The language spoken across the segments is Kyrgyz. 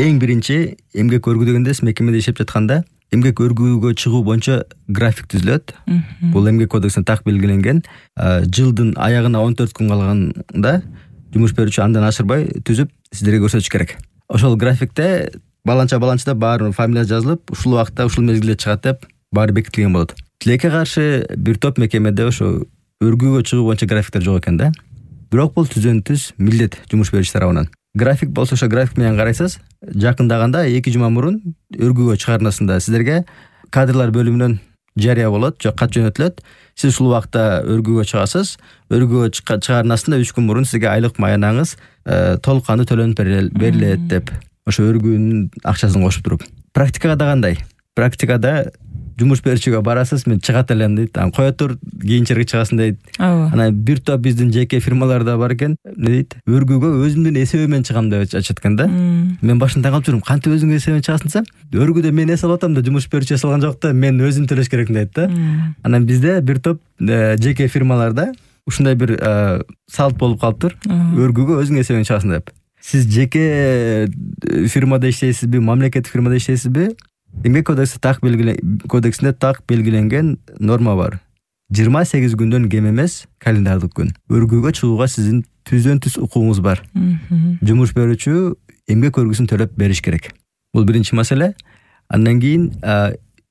Эң биринчи эмгек өргүү дегенде мекемеде иштеп жатканда эмгек өргүүгө чыгуу боюнча график түзүлөт. Бул эмгек кодексинде так белгиленген. Жылдын аягына 14 күн калганда жумуш берүүчү андан ашырбай түзүп сиздерге көрсөтүш керек. Ошол графикте баланча баары фамилия жазылып, ушул убакытта ушул мезгилде чыгат деп баары бекитилген болот. Тилекке каршы бир топ мекемеде ошо өргүүгө чыгуу боюнча графиктер жок экен да. Бирок бул түз милдет жумуш берүүчү тарабынан. График болсо ошо график менен карайсыз. Жакындаганда 2 жума мурун өргүүгө чыгарнасында сиздерге кадрлар бөлүмүнөн жарыя болот, же кат жөнөтүлөт. Сиз ушул убакта өргүүгө чыгасыз. Өргүүгө чыгарнасында 3 күн мурун сизге айлык маянаңыз толук кандуу төлөнүп берилет деп ошо өргүүнүн акчасын кошуп туруп. Практикада да кандай? Практикада жумуш берүүчүгө барасыз, мен чыгат элем дейт. Кое тур, кийинчерээк чыгасың дейт. Анан бир топ биздин жеке фирмаларда бар экен, эмне дейт? Өргүүгө өзүмдүн эсебимен чыгам деп айтышат экен да. Мен башында калып жүрүм, кантип өзүңдүн эсебимен чыгасың десем, өргүүдө мен эс алып атам да, жумуш берүүчү эс алган жок да, мен өзүм төлөш керекмин дейт да. Анан бизде бир топ жеке фирмаларда ушундай бир салт болуп калыптыр. Өргүүгө өзүң эсебимен чыгасың деп. Сиз жеке фирмада иштейсизби, мамлекеттик фирмада иштейсизби? Эмгек кодексинде так белгиленген норма бар. 28 күндөн кем эмес календардык күн. Өргүүгө чыгууга сиздин түз укугуңуз бар. Жумуш берүүчү эмгек өргүүсүн төлөп бериш керек. Бул биринчи маселе. Андан кийин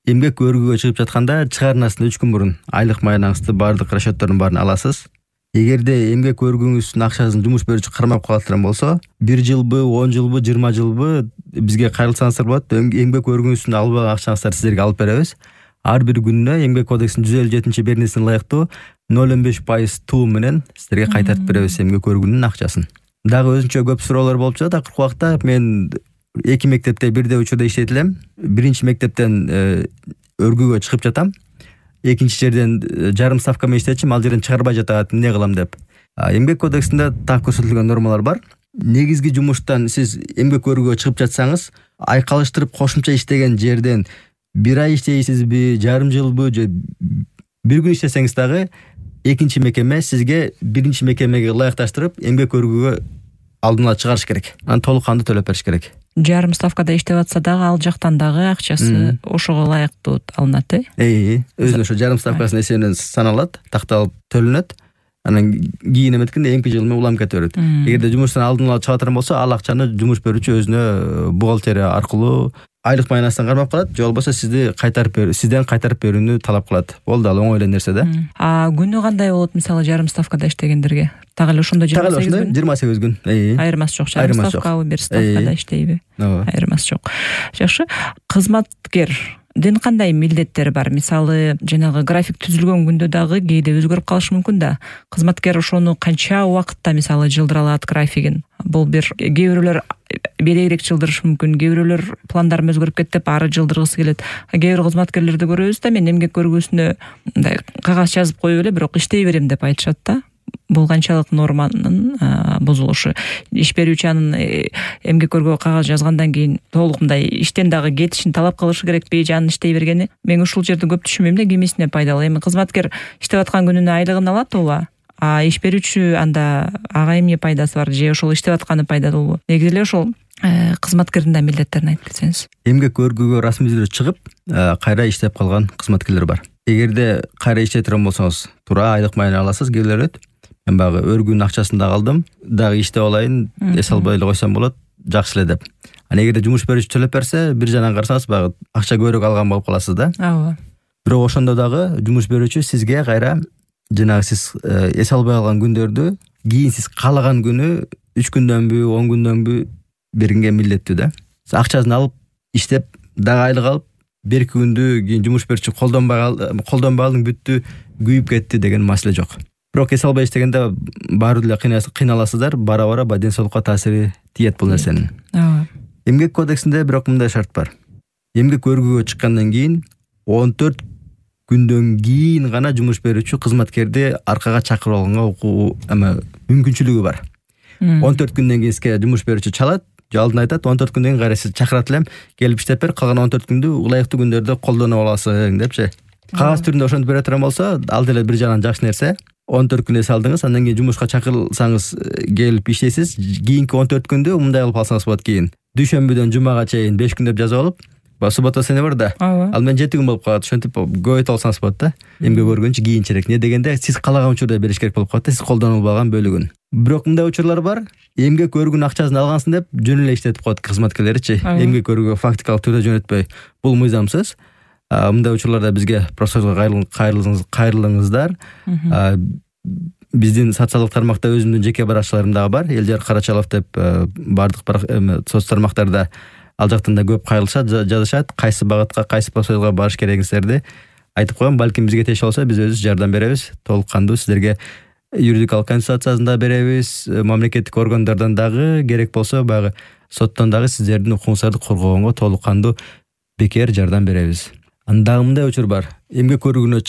эмгек өргүүгө чыгып жатканда чыгарнасында 3 күн мурун айлык маянаңызды, бардык расчёттордун баарын аласыз. Эгерде эмгек өргүүңүздүн акчасын жумуш берүүчү кармап калат болсо, 1 жылбы, 10 жылбы, 20 жылбы бизге кайрылсаңыздар болот. Эмгек өргүүңүздүн албаган акчаңызды сиздерге алып беребиз. Ар бир күнүнө эмгек кодексинин 157-беренесине ылайыктуу 0,5% туум менен сиздерге кайтартып беребиз эмгек өргүүнүн акчасын. Дагы өзүнчө көп суроолор болуп жатат. Акыркы убакта мен 2 мектепте бирдей учурда иштейт элем. Биринчи мектептен өргүүгө чыгып жатам. Экинчи жерден жарым ставка менен иштечим, ал жерден чыгарбай жатат, эмне кылам деп. Эмгек кодексинде так көрсөтүлгөн нормалар бар. Негизги жумуштан сиз эмгек өргүүгө чыгып жатсаңыз, айкалыштырып кошумча иштеген жерден 1 ай иштейсизби, жарым жылбы, же 1 күн иштесеңиз дагы экинчи мекеме сизге биринчи мекемеге ылайыкташтырып эмгек өргүүгө алдын ала чыгарыш керек. Анан толук кандуу төлөп бериш керек. Жарым ставкада иштеп атса дагы ал жактан дагы акчасы ошого ылайыктуу алынат, Өзүнүн ошо жарым ставкасынын эсебинен саналат, такталып төлөнөт. Анан кийин эметкенде эмки жыл менен улам кете берет. Эгерде жумуштан алдын ала чыга турган болсо, ал акчаны жумуш берүүчү өзүнө бухгалтерия аркылуу айлык маянасынан кармап калат, же болбосо сизден кайтарып берүүнү талап кылат. Болду, ал оңой эле нерсе да. Күнү кандай болот, мисалы жарым ставкада иштегендерге? Так эле ошондо 28 күн. Айырмасы жок. Жарым ставкабы, бир ставкада иштейби? Айырмасы жок. Жакшы. Кызматкердин кандай милдеттери бар? Мисалы, жанагы график түзүлгөн күндө дагы кээде өзгөрүп калышы мүмкүн да. Кызматкер ошону канча убакытта мисалы жылдыра алат графигин? Бул кээ бирөөлөр белегирээк жылдырышы мүмкүн, кээ бирөөлөр пландарым өзгөрүп кетти деп ары жылдыргысы келет. Кээ бир кызматкерлерди көрөбүз да, мен эмгек өргүүсүнө мындай кагаз жазып коюп эле, бирок иштей берем деп айтышат да. Бул канчалык норманын бузулушу? Иш берүүчү анын эмгек өргүүгө кагаз жазгандан кийин толук мындай иштен дагы кетишин талап кылышы керекпи, же анын иштей бергени? Мен ушул жерде көп түшүнбөйм да, кимисине пайдалуу. Эми кызматкер иштеп аткан күнүнө айлыгын алат ооба. Иш берүүчү анда ага эмне пайдасы бар, же ошол иштеп атканы пайдалуубу? Негизи эле ошол кызматкердин да милдеттерин айтып кетсеңиз. Эмгек өргүүгө расмий түрдө чыгып, кайра иштеп калган кызматкерлер бар. Эгерде кайра иштей турган болсоңуз, туура айлык маяны аласыз, келет. Мен багы өргүүнүн акчасын дагы алдым, дагы иштеп алайын, эс албай эле койсом болот, жакшы эле деп. Эгерде жумуш берүүчү төлөп берсе, бир жагынан карасаңыз, багы акча көбүрөөк алган болуп каласыз да. Ооба. Бирок ошондо дагы жумуш берүүчү сизге кайра жанагы сиз эс албай калган күндөрдү кийин сиз каалаган күнү 3 күндөнбү, 10 күндөнбү бергенге милдеттүү да. Сиз акчасын алып, иштеп, дагы айлык алып, 1 күндү кийин жумуш берүүчү колдонбой алдың, бүттү, күйүп кетти деген маселе жок. Бирок эс албай иштегенде баары эле кыйналасыздар, бара ден соолукка таасири тиет бул нерсенин. Эмгек кодексинде бирок мындай шарт бар. Эмгек өргүүгө чыккандан кийин 14 күндөн кийин гана жумуш берүүчү кызматкерди аркага чакырып алганга мүмкүнчүлүгү бар. 14 күндөн кийин сизге жумуш берүүчү чалат, же алдын айтат, 14 күндөн кийин кайра сиз чакырат элем, келип иштеп бер, калган 14 күндү ылайыктуу күндөрдө колдонуп аласың депчи. Кагаз түрүндө ошентип бере турган болсо, ал деле бир жагынан жакшы нерсе. 14 күн эс алдыңыз, андан кийин жумушка чакырылсаңыз келип иштейсиз. Кийинки 14 күндө мындай кылып алсаңыз болот кийин. дүйшөмбүдөн жумага чейин 5 күн деп жазып алып, суббота сене бар да. Ал мен 7 күн болуп калат. Ошентип көбөйтө алсаңыз болот да. Эмгек өргөнчү кийинчерээк. Не дегенде сиз каалаган учурда бериш керек болуп калат да, сиз колдонуп албаган бөлүгүн. Бирок мындай учурлар бар. Эмгек өргүнүн акчасын алгансың деп жөн эле иштетип коет кызматкерлеричи. Эмгек өргүгө фактикалык түрдө жөнөтпөй. Бул мыйзамсыз. Мындай учурларда бизге профессорго кайрылыңыздар. Биздин социалдык тармакта өзүмдүн жеке баракчаларым дагы бар. Элжар Карачалов деп бардык соц тармактарда ал жактан да көп кайрылышат, жазышат. Кайсы багытка, кайсы профессорго барыш керегиңиздерди айтып коем. Балким бизге тиеши болсо биз өзүбүз жардам беребиз. Толук кандуу сиздерге юридикалык консультациясын да беребиз. Мамлекеттик органдардан дагы керек болсо баягы соттон дагы сиздердин укугуңуздарды коргогонго толук кандуу бекер жардам беребиз. Анда мындай учур бар. Эмгек өргүүсүнө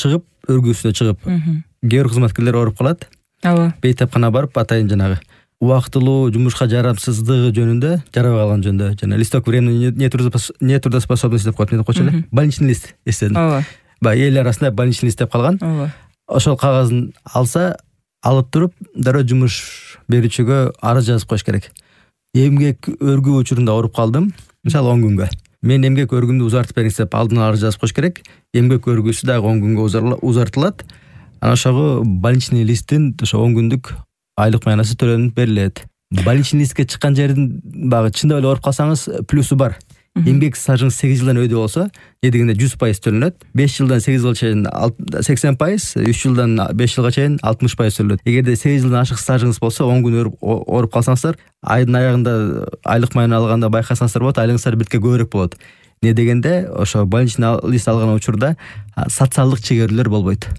чыгып, кээ бир кызматкерлер ооруп калат. Бейтапкана барып атайын жанагы убактылуу жумушка жарамсыздыгы жөнүндө, жарабай калган жөнүндө, жана листок времени нетрудоспособности деп коет, эмне деп койчу эле? Больничный лист эстедим. Баягы эл арасында больничный лист деп калган. Ошол кагазын алса, алып туруп, дароо жумуш берүүчүгө арыз жазып коюш керек. Эмгек өргүү учурунда ооруп калдым, мисалы 10 күнгө. Мен эмгек өргүмдү узартып бериңиз деп алдын ала арыз жазып коюш керек. Эмгек өргүүсү дагы 10 күнгө узартылат. Анан ошого больничный листтин ошо 10 күндүк айлык маянасы төлөнүп берилет. Больничный листке чыккан жердин багы чындап эле ооруп калсаңыз плюсу бар. Эмгек стажыңыз 8 жылдан өйдө болсо, дегенде 100% төлөнөт. 5 жылдан 8 жылга чейин 80%, 3 жылдан 5 жылга чейин 60% төлөнөт. Эгерде 8 жылдан ашык стажыңыз болсо, 10 күн ооруп калсаңыздар, айдын аягында айлык маяны алганда байкасаңыздар болот, айлыгыңыздар битке көбүрөөк болот. Не дегенде ошо больничный лист алган учурда социалдык чегөрүүлөр болбойт.